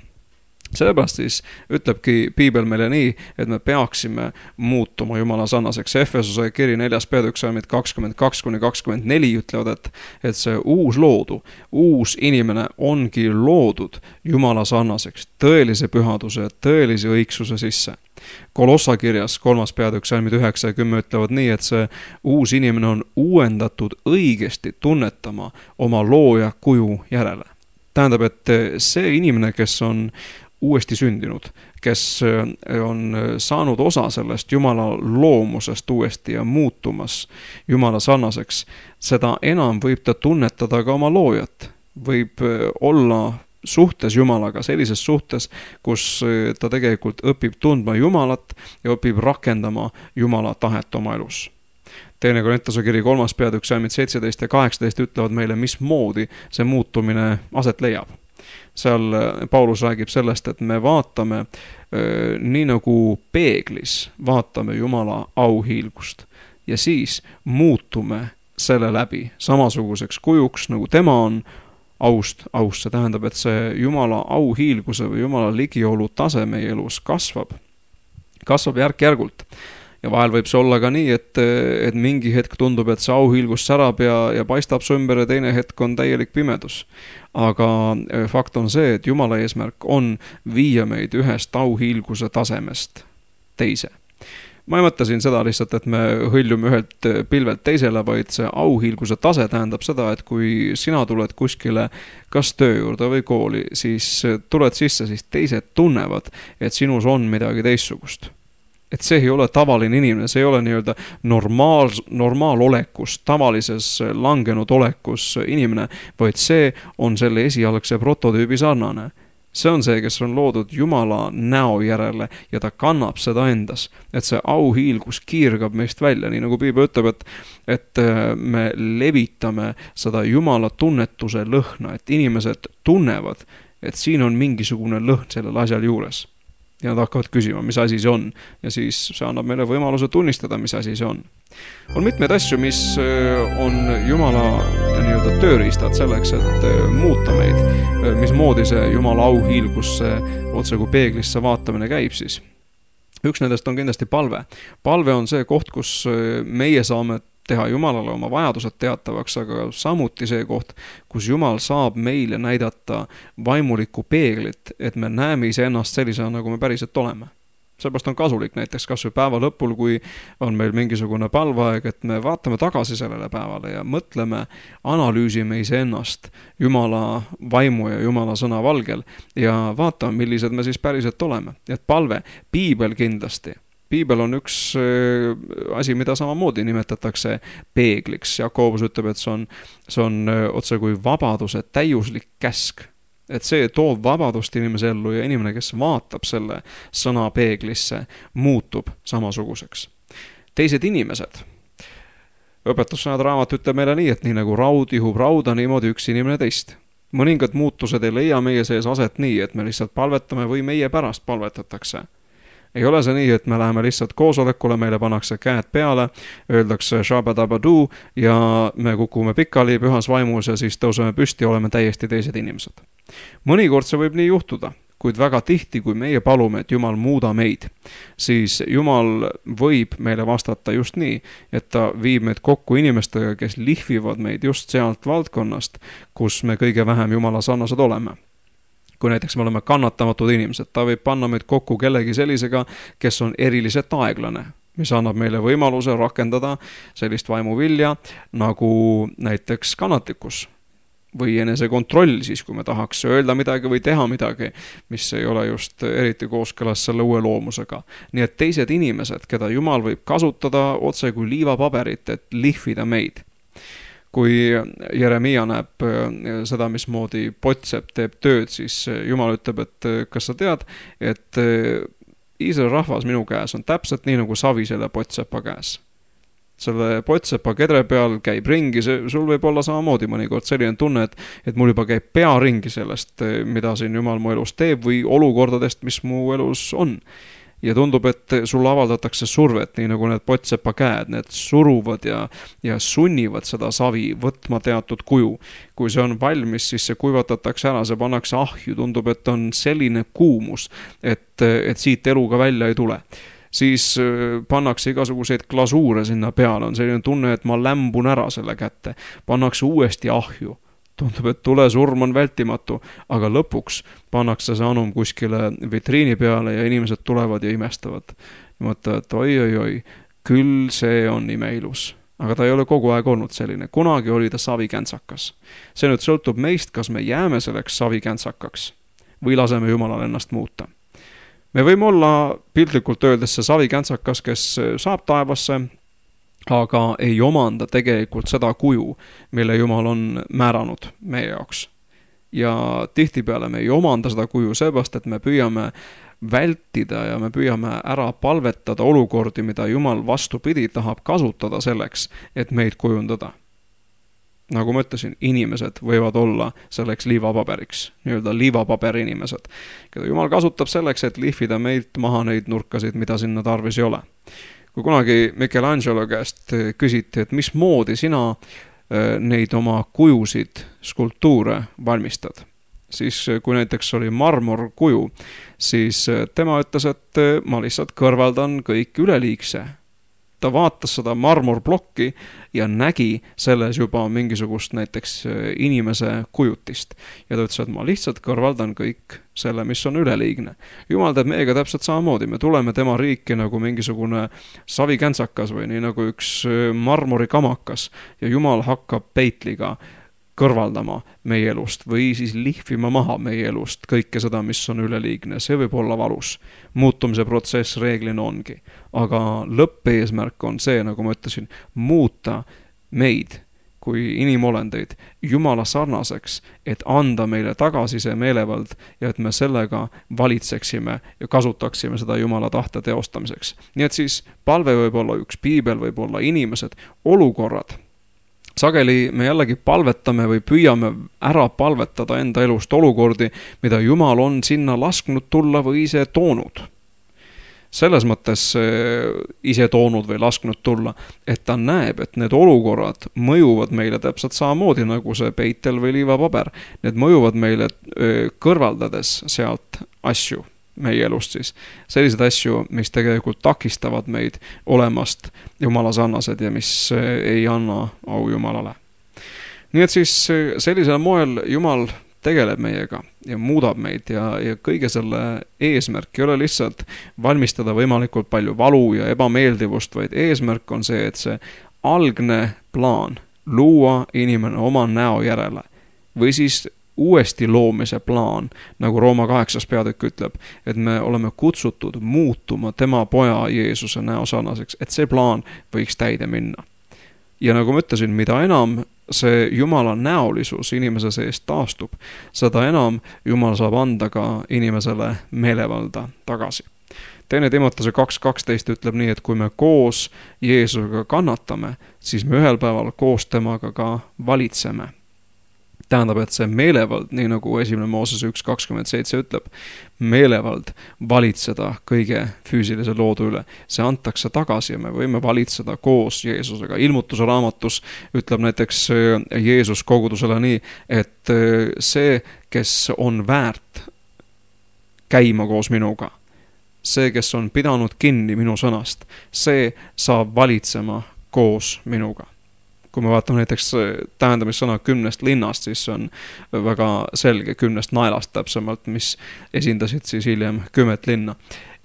Sellepärast siis ütlebki Piibel meile nii, et me peaksime muutuma Jumala sarnaseks. Efesuse kiri 4. peatükk salmid 22-24 ütlevad, et see uus loodu, uus inimene ongi loodud Jumala sarnaseks, tõelise pühaduse, tõelise õigsuse sisse. Kolossa kirjas 3. peatükk salmid 9 ja 10 ütlevad nii, et see uus inimene on uuendatud õigesti tunnetama oma looja kuju järele. Tähendab, et see inimene, kes on uuesti sündinud, kes on saanud osa sellest Jumala loomusest uuesti ja muutumas Jumala sarnaseks, seda enam võib ta tunnetada ka oma loojat. Võib olla suhtes Jumalaga, sellises suhtes, kus ta tegelikult õpib tundma Jumalat ja õpib rakendama Jumala tahet oma elus. Teine Korintuse kiri 3. peatükk salmid 17 ja 18 ütlevad meile, mismoodi see muutumine aset leiab. Seal Paulus räägib sellest, et me vaatame nii nagu peeglis, vaatame Jumala auhiilgust ja siis muutume selle läbi samasuguseks kujuks, nagu tema on aust. See tähendab, et see Jumala auhiilguse või Jumala ligiolu tase meie elus kasvab järk-järgult. Ja vahel võib see olla ka nii, et mingi hetk tundub, et see auhiilgus särab ja paistab su ümber ja teine hetk on täielik pimedus. Aga fakt on see, et Jumala eesmärk on viia meid ühest auhiilguse tasemest teise. Ma ei mõtle siin seda lihtsalt, et me hõljume ühelt pilvelt teisele, vaid see auhiilguse tase tähendab seda, et kui sina tuled kuskile kas töö juurde või kooli, siis tuled sisse, siis teised tunnevad, et sinus on midagi teistsugust. Et see ei ole tavaline inimene, see ei ole nii-öelda normaalolekus, tavalises langenud olekus inimene, vaid see on selle esialgse prototüübi sarnane. See on see, kes on loodud Jumala näo järele ja ta kannab seda endas, et see auhiilgus kiirgab meist välja, nii nagu Piibel ütleb, et me levitame seda Jumala tunnetuse lõhna, et inimesed tunnevad, et siin on mingisugune lõhn sellel asjal juures. Ja nad hakkavad küsima, mis asi see on. Ja siis see annab meile võimaluse tunnistada, mis asi see on. On mitmeid asju, mis on Jumala nii-öelda tööriistad selleks, et muuta meid. Mismoodi see Jumala auhiilgusse otse kui peeglisse vaatamine käib siis. Üks nendest on kindlasti palve. Palve on see koht, kus meie saame teha Jumalale oma vajadused teatavaks, aga samuti see koht, kus Jumal saab meile näidata vaimulikku peeglit, et me näeme iseennast sellisena, nagu me päriselt oleme. Seepärast on kasulik näiteks kas või päeva lõpul, kui on meil mingisugune palveaeg, et me vaatame tagasi sellele päevale ja mõtleme, analüüsime iseennast Jumala vaimu ja Jumala sõna valgel ja vaatame, millised me siis päriselt oleme. Et palve, piibel kindlasti. Piibel on üks asi, mida samamoodi nimetatakse peegliks. Jakobus ütleb, et see on otse kui vabaduse täiuslik käsk. Et see toob vabadust inimese ellu ja inimene, kes vaatab selle sõna peeglisse, muutub samasuguseks. Teised inimesed. Õpetussõnad raamat ütleb meile nii, et nii nagu raud ihub rauda, niimoodi üks inimene teist. Mõningad muutused ei leia meie sees aset nii, et me lihtsalt palvetame või meie pärast palvetatakse. Ei ole see nii, et me läheme lihtsalt koosolekule, meile pannakse käed peale, öeldakse shabadabadu ja me kukume pikali pühas vaimus ja siis tõuseme püsti ja oleme täiesti teised inimesed. Mõnikord see võib nii juhtuda, kuid väga tihti, kui meie palume, et Jumal muuda meid, siis Jumal võib meile vastata just nii, et ta viib meid kokku inimestega, kes lihvivad meid just sealt valdkonnast, kus me kõige vähem Jumala sarnased oleme. Kui näiteks me oleme kannatamatud inimesed, ta võib panna meid kokku kellegi sellisega, kes on eriliselt aeglane, mis annab meile võimaluse rakendada sellist vaimuvilja, nagu näiteks kannatlikkus või enesekontroll siis, kui me tahaks öelda midagi või teha midagi, mis ei ole just eriti kooskõlas selle uue loomusega. Nii et teised inimesed, keda Jumal võib kasutada otse kui liivapaberit, et lihvida meid. Kui Jeremia näeb seda, mismoodi Potsepp teeb tööd, siis Jumal ütleb, et kas sa tead, et Iisraeli rahvas minu käes on täpselt nii nagu savi selle Potsepa käes. Selle Potsepa kedre peal käib ringi, sul võib olla samamoodi mõnikord selline tunne, et mul juba käib pea ringi sellest, mida siin Jumal mu elus teeb või olukordadest, mis mu elus on. Ja tundub, et sulle avaldatakse survet, nii nagu need Potsepa käed, need suruvad ja sunnivad seda savi võtma teatud kuju. Kui see on valmis, siis see kuivatatakse ära, see pannakse ahju, tundub, et on selline kuumus, et siit eluga välja ei tule. Siis pannakse igasuguseid glasuure sinna peale, on selline tunne, et ma lämbun ära selle kätte, pannakse uuesti ahju. Tundub, et tulesurm on vältimatu, aga lõpuks pannakse see anum kuskile vitriini peale ja inimesed tulevad ja imestavad. Ja mõtlevad, et oi, küll see on imeilus. Aga ta ei ole kogu aeg olnud selline. Kunagi oli ta savikäntsakas. See nüüd sõltub meist, kas me jääme selleks savikäntsakas või laseme Jumalal ennast muuta. Me võime olla piltlikult öeldes see savikäntsakas, kes saab taevasse, aga ei omanda tegelikult seda kuju, mille Jumal on määranud meie jaoks. Ja tihtipeale me ei omanda seda kuju seepärast, et me püüame vältida ja me püüame ära palvetada olukordi, mida Jumal vastupidi tahab kasutada selleks, et meid kujundada. Nagu ma ütlesin, inimesed võivad olla selleks liivapaberiks, nii-öelda liivapaberi inimesed, keda Jumal kasutab selleks, et lihvida meilt maha neid nurkasid, mida sinna tarvis ei ole. Kui kunagi Michelangelo käest küsiti, et mismoodi sina neid oma kujusid, skulptuure valmistad, siis kui näiteks oli marmorkuju, siis tema ütles, et ma lihtsalt kõrvaldan kõik üleliigse. Ta vaatas seda marmorblokki ja nägi selles juba mingisugust näiteks inimese kujutist. Ja ta ütles, et ma lihtsalt kõrvaldan kõik selle, mis on üleliigne. Jumal teeb meiega täpselt samamoodi. Me tuleme tema riiki nagu mingisugune savikäntsakas või nii nagu üks marmorikamakas ja Jumal hakkab peitliga kõrvaldama meie elust või siis lihvima maha meie elust kõike seda, mis on üleliigne. See võib olla valus. Muutumise protsess reeglina ongi. Aga lõppeesmärk on see, nagu ma ütlesin, muuta meid kui inimolendeid Jumala sarnaseks, et anda meile tagasi see meelevald ja et me sellega valitseksime ja kasutaksime seda Jumala tahte teostamiseks. Nii et siis palve võib olla üks, piibel võib olla inimesed, olukorrad. Sageli me jällegi palvetame või püüame ära palvetada enda elust olukordi, mida Jumal on sinna lasknud tulla või ise toonud. Selles mõttes ise toonud või lasknud tulla, et ta näeb, et need olukorrad mõjuvad meile täpselt samamoodi nagu see peitel või liivapaber. Need mõjuvad meile kõrvaldades sealt asju, meie elust siis. Sellised asju, mis tegelikult takistavad meid olemast Jumala sarnased ja mis ei anna au Jumalale. Nii et siis sellisel moel Jumal tegeleb meiega ja muudab meid ja kõige selle eesmärk ei ole lihtsalt valmistada võimalikult palju valu ja ebameeldivust, vaid eesmärk on see, et see algne plaan luua inimene oma näo järele või siis uuesti loomise plaan, nagu Rooma 8. peatükk ütleb, et me oleme kutsutud muutuma tema poja Jeesuse näo sarnaseks, et see plaan võiks täide minna. Ja nagu ma ütlesin, mida enam see Jumala näolisus inimese sees taastub, seda enam Jumal saab anda ka inimesele meelevalda tagasi. 2. Timotese 2.12 ütleb nii, et kui me koos Jeesusega kannatame, siis me ühel päeval koos temaga ka valitseme. Tähendab, et see meelevald, nii nagu 1. Moosese 1.27 ütleb, meelevald valitseda kõige füüsilise loodu üle. See antakse tagasi ja me võime valitseda koos Jeesusega. Ilmutuse raamatus ütleb näiteks Jeesus kogudusele nii, et see, kes on väärt käima koos minuga, see, kes on pidanud kinni minu sõnast, see saab valitsema koos minuga. Kui me vaatame näiteks tähendamissõna 10 linnast, siis see on väga selge 10 naelast täpsemalt, mis esindasid siis hiljem 10 linna.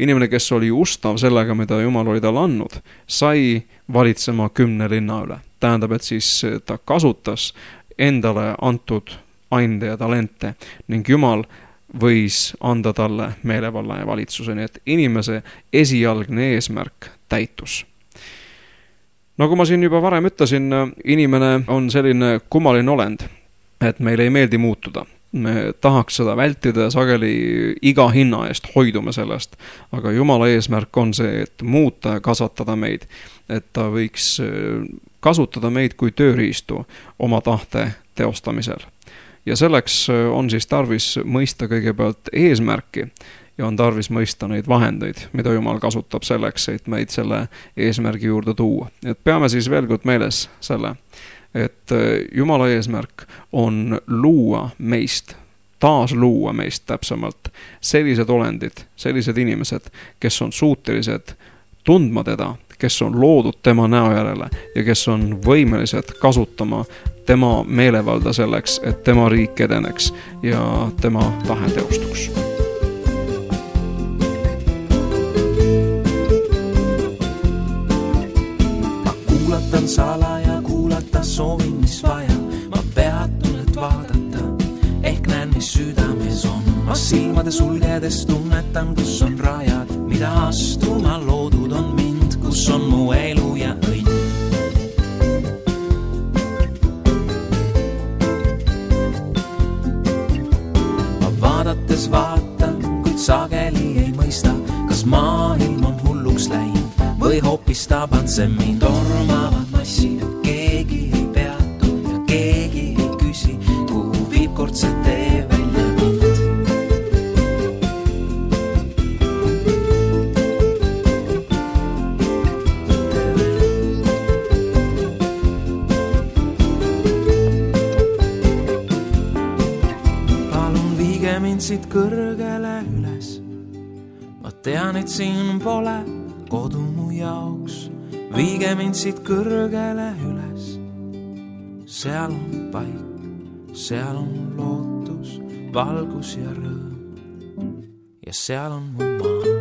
Inimene, kes oli ustav sellega, mida Jumal oli talle andnud, sai valitsema 10 linna üle. Tähendab, et siis ta kasutas endale antud ande ja talente ning Jumal võis anda talle meelevalla ja valitsuse, nii et inimese esialgne eesmärk täitus. Nagu ma siin juba varem ütlesin, inimene on selline kummaline olend, et meile ei meeldi muutuda. Me tahaks seda vältida ja sageli iga hinna eest hoidume sellest, aga Jumala eesmärk on see, et muuta ja kasvatada meid, et ta võiks kasutada meid kui tööriistu oma tahte teostamisel. Ja selleks on siis tarvis mõista kõigepealt eesmärki ja on tarvis mõista neid vahendeid, mida Jumal kasutab selleks, et meid selle eesmärgi juurde tuua. Et peame siis veel kord meeles selle, et Jumala eesmärk on luua meist, taas luua meist täpsemalt sellised olendid, sellised inimesed, kes on suutelised tundma teda, kes on loodud tema näo järele ja kes on võimelised kasutama tema meelevalda selleks, et tema riik edeneks ja tema tahe teostuks. Kuulatan salaja, kuulata soovin, mis vaja. Ma peatun, et vaadata, ehk näen, mis südames on. Ma silmade sulgedes tunnetan, kus on rajad, mida astuma loodud on mind, kus on mu elu ja õnn. Ma vaadates vaatan, kuid sageli ei mõista, kas maailm on hulluks läinud või hoopis taband see mind. Tormavad massid, keegi ei peatu ja keegi ei küsi, kuhu viib kord see tee välja mind. Palun viige mind siit kõrgele üles, ma tean, et siin pole kodu mu jaoks, viige mind siit kõrgele üles. Seal on paik, seal on lootus, valgus ja rõõm ja seal on mu maa.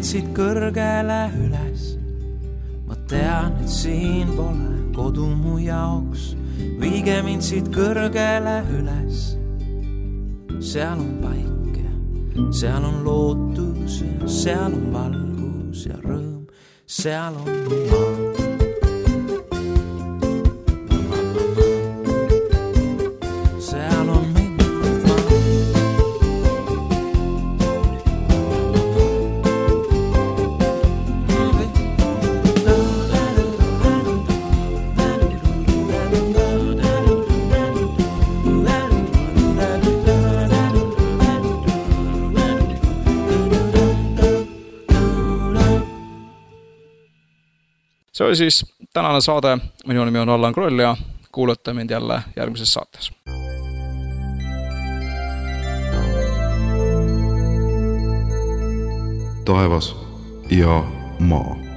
siit kõrgele üles. Ma tean, et siin pole kodu mu jaoks. Viige mind siit kõrgele üles. Seal on paik ja seal on lootus ja seal on valgus ja rõõm. Seal on mu maa. See oli siis tänane saade. Minu nimi on Allan Kroll ja kuulate mind jälle järgmises saates. Taevas ja maa.